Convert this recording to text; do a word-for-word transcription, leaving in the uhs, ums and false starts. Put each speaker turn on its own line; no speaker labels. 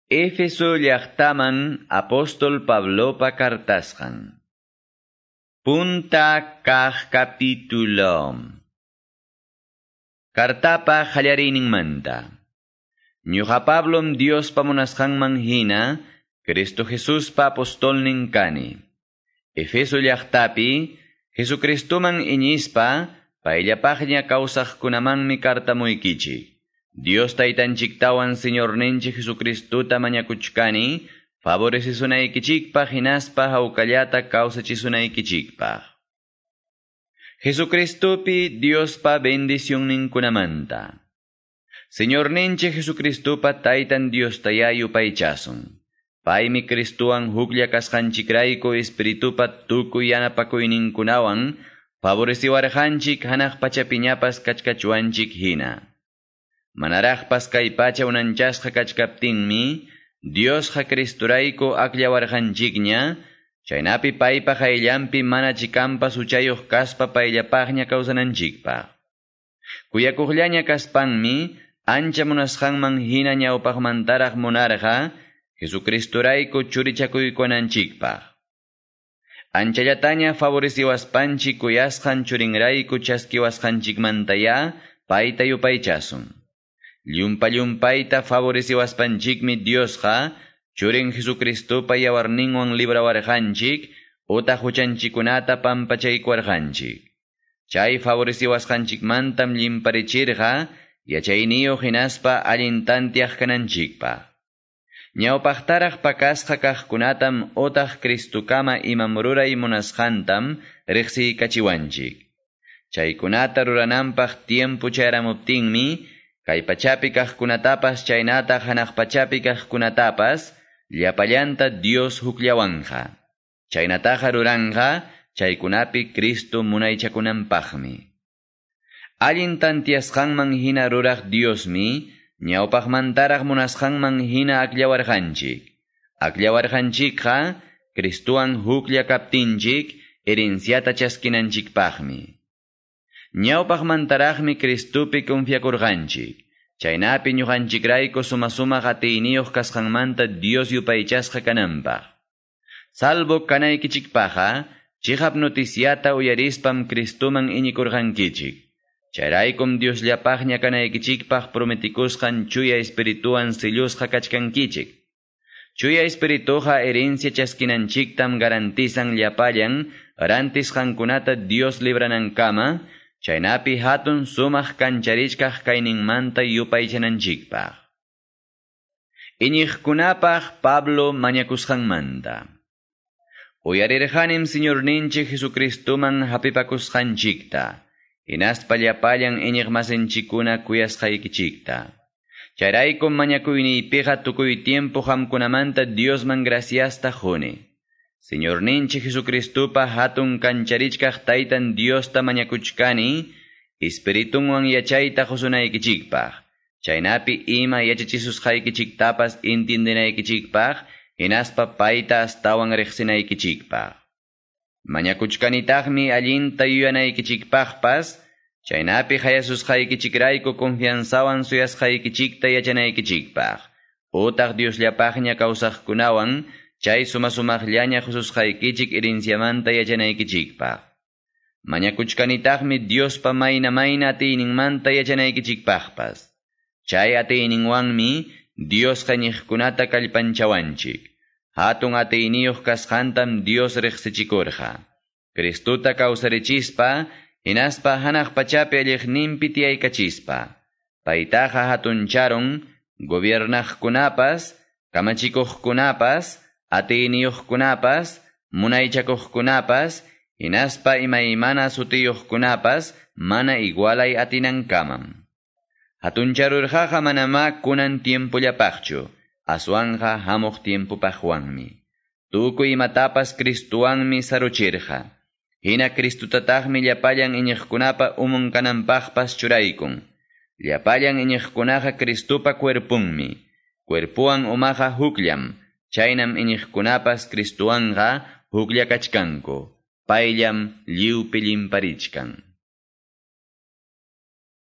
Éfeso llaqtaman apóstol Pablopa kartasqan. Punta kaq capítulo. Kartapa qallariyninmanta. Ñuqa Pablom Diospa munasqanman hina, Cristo Jesuspa apostolnin kani. Efeso llaqtapi, Jesucristoman iñispa, payllapaqña kawsaqkunamanmi kartamuykichik. Dios taytanchiktawan Señorninchik Jesucristota mañakuchkani, favorecesunaykichikpaq hinaspa hawkallata kawsachisunaykichikpaq. Jesucristopi Diospa bendicionninkunamanta. Señorninchik Jesucristopa taytan Diostayá yupaychasun. Paymi Cristowan huklla kasqanchikrayku Espiritupa tukuy yanapakuyninkunawan favoreciwarqanchik hanaq pachapiñapas kachkachuanchik hina. Manaraqpas kay pacha unanchasqa kachkaptinmi, Diosqa Cristorayku akllawarqanchikña, chaynapi paypa qayllanpi mana chikampas huchayuq kaspa payllapaqña kawsananchikpaq. Kuyakuqllaña kaspanmi, ancha munasqanman hina ñawpaqmantaraq munarqa, Jesucristorayku churichakuykunanchikpaq. Anchallataña favoreciwaspanchik kuyasqan churinrayku chaskiwasqanchikmantaya payta yupaychasun. Llumpa llumpayta favoreciwaspanchikmi Diosqa churin Jesucristopa yawarninwan librawarqanchik utaq huchanchikunata pampachaykuwarqanchik. Chay favoreciwasqanchikmantam llimparichirqa yachayniyuq hinaspa allin tantiaq kananchikpaq. Ñawpaqtaraq pakasqa kaqkunatam utaq Cristokama imam ruray munasqantam riqsiykachiwanchik. Chaykunata rurananpaq tiempo chayaramuptinmi kay pachapi kaqkunatapas chaynataq hanaq pachapi kaqkunatapas llapallanta Dios hukllawanqa. Chaynataqa ruranqa chaykunapi Cristo munaychakunanpaqmi. Allin tantiasqanman hina ruraq Diosmi ñawpaqmantaraq munasqanman hina akllawarqanchik. Akllawarqanchikqa Cristowan huklla kaptinchik herenciata chaskinanchikpaqmi. Ñawpaqmantaraqmi Cristopi confiakurqanchik. Chaynapi ñuqanchikrayku suma-sumaq atiyniyuq kasqanmanta Dios yupaychasqa kananpaq. Salvo kanaykichikpaqqa, chiqap noticiata uyarispam Cristoman iñikurqankichik. Chayraykum Diosllapaqña kanaykichikpaq prometikusqan Chuya Espirituwan sellusqa kachkankichik. Chuya Espirituqa herencia chaskinanchiktam garantizan llapallan rantisqankunata Dios libranankama, chaynapi hatun sumaq kancharichkaq kayninmanta yupaychananchikpaq. Iñiqkunapaq Pablo mañakusqanmanta. Uyarirqanim Señorninchik Jesucristoman hapipakusqanchikta, hinaspa llapallan iñiqmasinchikkuna kuyasqaykichikta. Chayraykum mañakuyniypiqa tukuy tiempo qamkunamanta Diosman graciasta quni. Señorninchik Jesucristopa hatun kancharichkaq taytan Diosta mañakuchkani, Espiritunwan yachayta qusunaykichikpaq. Chaynapi ima yachachisusqaykichiktapas entiendenaykichikpaq, hinaspa payta astawan riqsinaykichikpaq. Mañakuchkanitaqmi allinta yuyanaykichikpaqpas, chaynapi hayasusqaykichikrayku confianzawan suyasqaykichikta yachanaykichikpaq. Utaq Diosllapaqña kawsaqkunawan, chay suma-sumaqllaña qususqaykichik herenciamanta yachanaykichikpaq. Mañakuchkanitaqmi Diospa mayna mayna atiyninmanta yachanaykichikpaqpas. Chay atiyninwanmi Diosqa iñiqkunata kallpanchawanchik. Hatun atiyniyuq kasqantam Dios riqsichikurqa. Cristota kawsarichispa, hinaspa hanaq pachapi alliqninpi tiyaykachispa. Paytaqa hatuncharun gobiernaqkunapas, kamachikuqkunapas, atiyniyuqkunapas, munaychakuqkunapas, hinaspa imaymana sutiyuqkunapas mana igualay atinankamam. Hatuncharurqaqa manamá kunan tiempollapaqchu, aswanqa hamuq tiempopaqwanmi. Tukuy imatapas Cristowanmi saruchirqa. Hina Cristotataqmi llapallan iñiqkunapa umun kananpaqpas churaykun. Llapallan iñiqkunaqa Cristopa cuerpunmi. Cuerpuwan umaqa hukllam. Chaynam iñiqkunapas Cristowanqa huklla kachkanku. Payllam lliwpi llimparichkan.